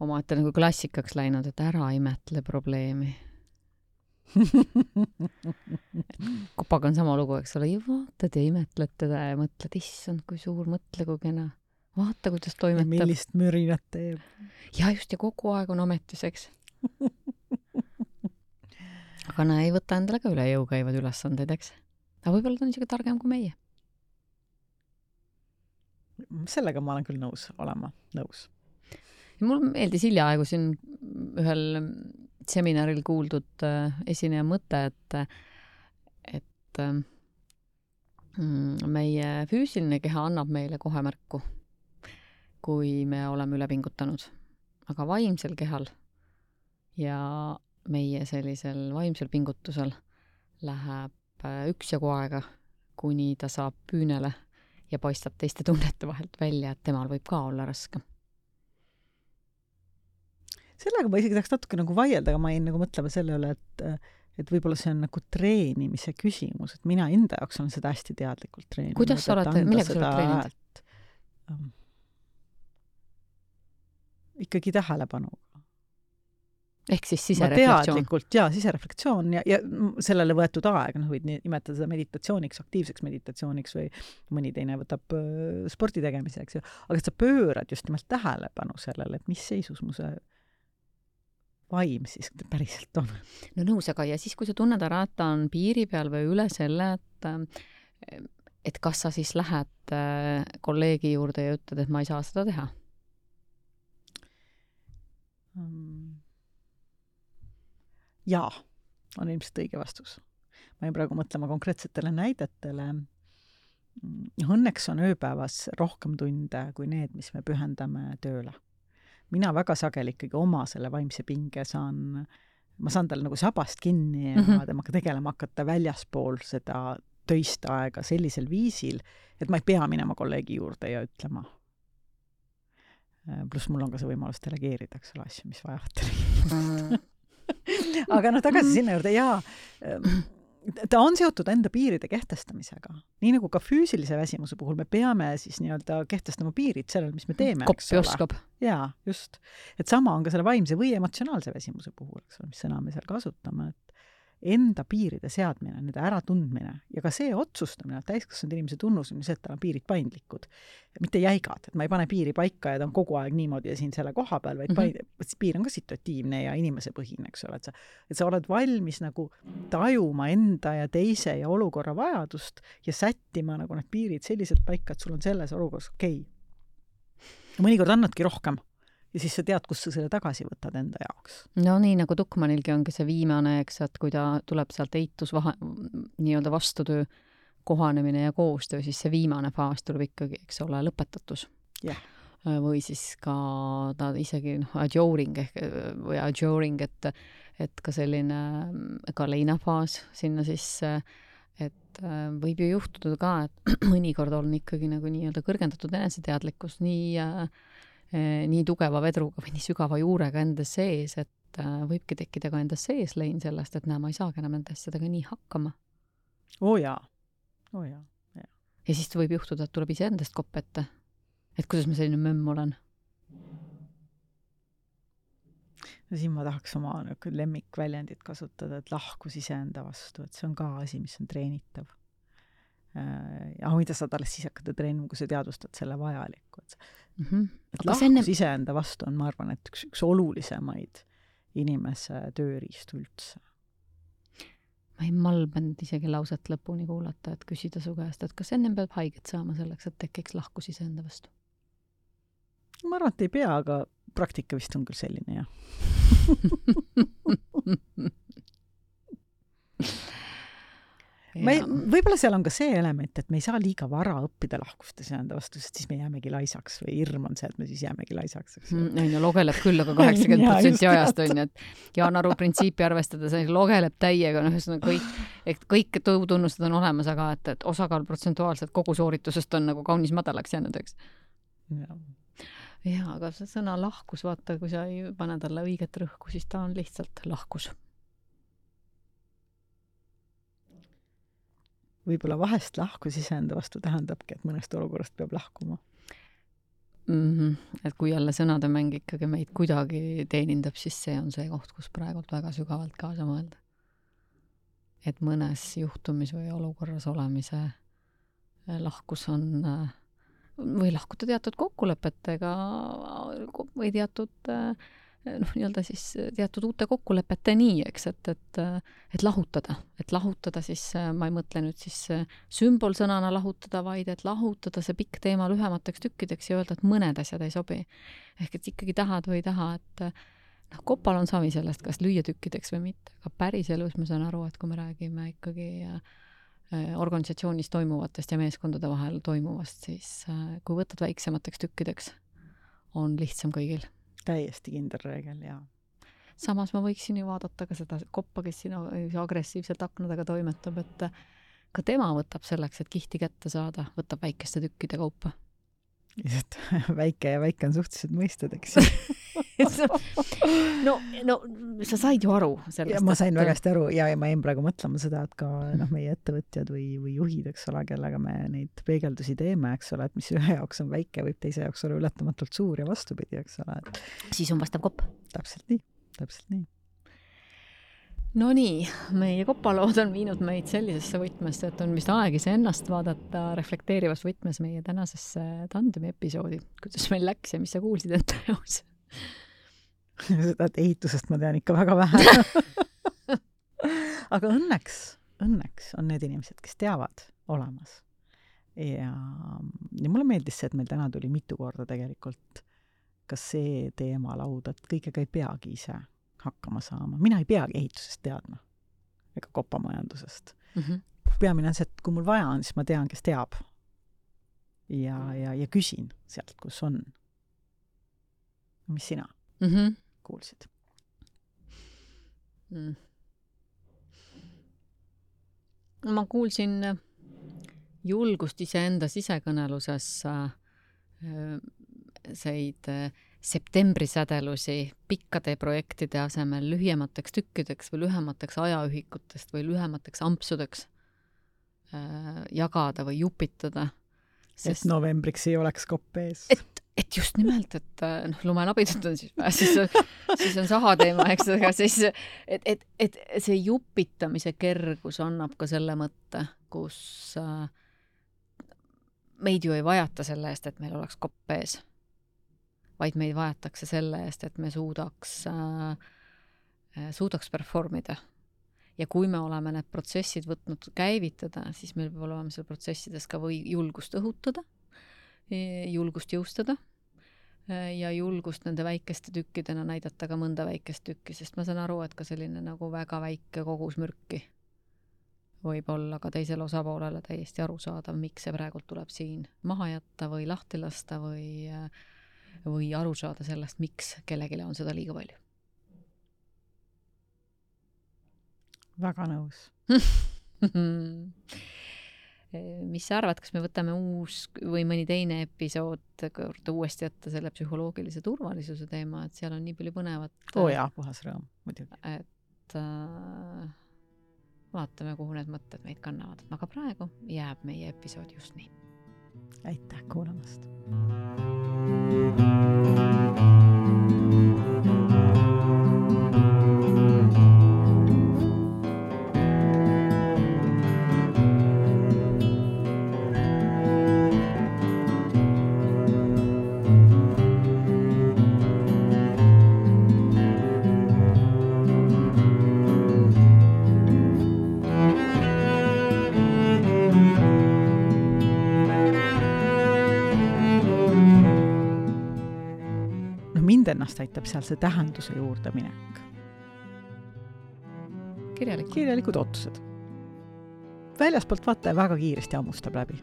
omaette nagu klassikaks läinud, et ära imetle probleemi. Kopaga on sama lugu, eks ole, ja vaatad ja imetled teda ja mõtled, issand, kui suur, mõtle, kui kena. Vaata, kuidas toimetab. Ja millist mürinat teeb. Ja just, ja kogu aeg on ametis, eks. Aga ei võta endale ka üle jõu käivad ülesandeid, eks. Aga võib-olla ta on isegi targem kui meie. Sellega ma olen küll nõus olema. Ja mul meeldis hiljaaegu siin ühel seminaril kuuldud esineja mõte, et meie füüsiline keha annab meile kohe märku, kui me oleme üle pingutanud. Aga vaimsel kehal ja meie sellisel vaimsel pingutusel läheb üksjagu aega, kuni ta saab püünele ja paistab teiste tunnete vahelt välja, et temal võib ka olla raske. Sellega ma isegi tahaks natuke nagu vaielda, aga ma jäin nagu mõtlema selle üle, et võib-olla see on nagu treenimise küsimus, et mina enda jaoks olen seda hästi teadlikult treeninud. Kuidas sa oled, millega sa oled treeninud? Ikkagi tähelepanuga. Ehk siis sisereflektsioon. Teadlikult, sisereflektsioon ja sellele võetud aeg, võid nimetada seda meditatsiooniks, aktiivseks meditatsiooniks või mõni teine võtab spordi tegemiseks. Aga et sa pöörad just nimelt tähelepanu sellele, et mis seisus mu see vaim siis päriselt on. No nõus, aga ja siis, kui sa tunned ära, et ta on piiri peal või üle selle, et kas sa siis lähed kolleegi juurde ja ütled, et ma ei saa seda teha? Jaa, on ilmselt õige vastus. Ma jäin praegu mõtlema konkreetsetele näidetele. Õnneks on ööpäevas rohkem tunde kui need, mis me pühendame tööle. Mina väga sageli ikkagi oma selle vaimse pinge ma saan talle nagu sabast kinni ja temaga tegelema hakata väljaspool seda töist aega sellisel viisil, et ma ei pea minema kolleegi juurde ja ütlema. Pluss mul on ka see võimalus delegeerida, eks ole, asju, mis vajavad delegeerida. Aga tagasi sinna juurde, ta on seotud enda piiride kehtestamisega. Nii nagu ka füüsilise väsimuse puhul me peame siis nii-öelda kehtestama piirid sellele, mis me teeme. Koppi oskab. Jaa, just. Et sama on ka selle vaimse või emotsionaalse väsimuse puhul, eks ole, mis sõna me seal kasutame. enda piiride seadmine, nende äratundmine ja ka see otsustamine, täiskasvanud inimese tunnus on see, et tal on piirid paindlikud, mitte jäigad, et ma ei pane piiri paika ja ta on kogu aeg niimoodi ja siin selle koha peal, vaid piir on ka situatiivne ja inimesepõhine, eks ole, et sa oled valmis nagu tajuma enda ja teise ja olukorra vajadust ja sättima nagu need piirid selliselt paika, et sul on selles olukorras okei. Mõnikord annadki rohkem. Ja siis sa tead, kus sa selle tagasi võtad enda jaoks. No nii, nagu Tuckmanilgi ongi see viimane, eks, et kui ta tuleb sealt nii-öelda vastutöö kohanemine ja koostöö, siis see viimane faas tuleb ikkagi, eks ole, lõpetatus. Yeah. Või siis ka ta isegi adjoring, et ka selline ka leinafaas sinna sisse, et võib ju juhtuda ka, et mõnikord on ikkagi nagu nii-öelda kõrgendatud eneseteadlikkus nii tugeva vedruga või nii sügava juurega enda sees, et võibki tekkida ka enda sees lein sellest, et ma ei saagi enam enda asjadega nii hakkama. Jaa. Ja siis võib juhtuda, et tuleb ise endast kopp ette. Et kuidas ma selline mömm olen? Ja siin ma tahaks oma lemmikväljendit kasutada, et lahkus iseenda vastu, et see on ka asi, mis on treenitav. Ja mida saad alles siis hakata treenima, kui sa teadvustad selle vajalikku. Et lahkus iseenda vastu on, ma arvan, et üks olulisemaid inimese tööriistu üldse. Ma ei malbanud isegi lauset lõpuni kuulata, et küsida su käest, et kas ennem peab haiget saama selleks, et tekiks lahkus iseenda vastu? Ma arvan, et ei pea, aga praktika vist on küll selline, jah. Võib-olla seal on ka see element, et me ei saa liiga vara õppida lahkustes enda vastu, sest siis me jäämegi laisaks või hirm on see, et me siis jäämegi laisaks. Logeleb küll, aga 80% ajast on, et Jaan Aru printsiipi arvestades logeleb täiega, kõik tunnused on olemas, aga et osakaal protsentuaalselt kogu sooritusest on nagu kaunis madalaks jäänud, eks. Ja, aga see sõna lahkus, vaata, kui sa ei pane talle õiget rõhku, siis ta on lihtsalt lahkus. Võib-olla vahest lahkus iseenda vastu tähendabki, et mõnest olukorrast peab lahkuma. Et kui jälle sõnademäng ikkagi meid kuidagi teenindab, siis see on see koht, kus praegult väga sügavalt kaasa mõelda. Et mõnes juhtumis või olukorras olemise lahkus on või lahkuda teatud kokkulepetega või nii-öelda siis teatud uute kokkulepeteni, eks, et lahutada siis, ma ei mõtle nüüd siis sümbolsõnana lahutada, vaid et lahutada see pikk teema lühemateks tükkideks ja öelda, et mõned asjad ei sobi. Ehk et ikkagi tahad või ei taha, et kopal on savi sellest, kas lüüa tükkideks või mitte, aga päris elus ma saan aru, et kui me räägime ikkagi organisatsioonis toimuvatest ja meeskondade vahel toimuvast, siis kui võtad väiksemateks tükkideks, on lihtsam kõigil. Täiesti kindel reegel, jaa. Samas ma võiksin ju vaadata ka seda koppa, kes siin agressiivselt aknadega toimetab, et ka tema võtab selleks, et kihti kätte saada, võtab väikeste tükkide kaupa. Väike on suhteliselt mõisted, eks. No, sa said ju aru sellest. Ja ma sain väga hästi aru ja ma jäin praegu mõtlema seda, et ka meie ettevõtjad või juhid, eks ole, kellega me neid peegeldusi teeme, eks ole, et mis ühe jaoks on väike, võib teise jaoks olla ületamatult suur ja vastupidi, eks ole. Siis on vastav kopp. Täpselt nii. No nii, meie kopalood on viinud meid sellisesse võtmesse, et on vist aeg ise ennast vaadata reflekteerivas võtmes meie tänasesse tandemi episoodi. Kuidas meil läks ja mis sa kuulsid enda jaos? Seda, et ehitusest ma tean ikka väga vähe. Aga õnneks on need inimesed, kes teavad olemas. Ja mulle meeldis see, et meil täna tuli mitu korda tegelikult ka see teema lauda, et kõigega ei peagi ise hakkama saama. Mina ei peagi ehitusest teadma ega kopamajandusest. Peamine on see, et kui mul vaja on, siis ma tean, kes teab. Ja küsin sealt, kus on. Mis sina kuulsid? Ma kuulsin julgust iseenda sisekõneluses septembrisädelusi pikkade projektide asemel lühemateks tükkideks või lühemateks ajaühikutest või lühemateks ampsudeks jagada või jupitada. Et novembriks ei oleks kopp ees. Et et just nimelt, et lumelabidud on siis on saha teema, eks, aga siis, et see jupitamise kergus annab ka selle mõtte, kus meid ju ei vajata selle eest, et meil oleks kopp ees, vaid meid vajatakse selle eest, et me suudaks performida. Ja kui me oleme need protsessid võtnud käivitada, siis meil peab olema seal protsessides ka või julgust õhutada, julgust jõustada ja julgust nende väikeste tükkidena näidata ka mõnda väikest tükki, sest ma saan aru, et ka selline nagu väga väike kogus mürki võib olla ka teisele osapoolele täiesti arusaadav, miks see praegult tuleb siin maha jätta või lahti lasta või aru saada sellest, miks kellegile on seda liiga palju. Väga nõus. Mis sa arvad, kas me võtame uus või mõni teine episood uuesti jätta selle psühholoogilise turvalisuse teema, et seal on nii palju põnevat. Jaa, puhas rõõm, muidugi. Et vaatame, kuhu need mõtted meid kannavad. Aga praegu jääb meie episood just nii. Aitäh kuulamast! Ennast aitab seal see tähenduse juurde minek. Kirjalikud otsused. Väljaspoolt vaataja väga kiiresti ammustab läbi.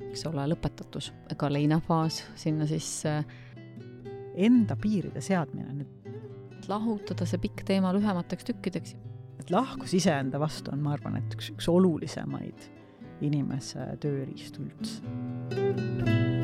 Eks ole lõpetatus, ega leinafaas sinna siis enda piiride seadmine. Lahutada see pikk teema lühemateks tükkideks. Et lahkus iseenda vastu on, ma arvan, et üks olulisemaid inimese tööriistu üldse.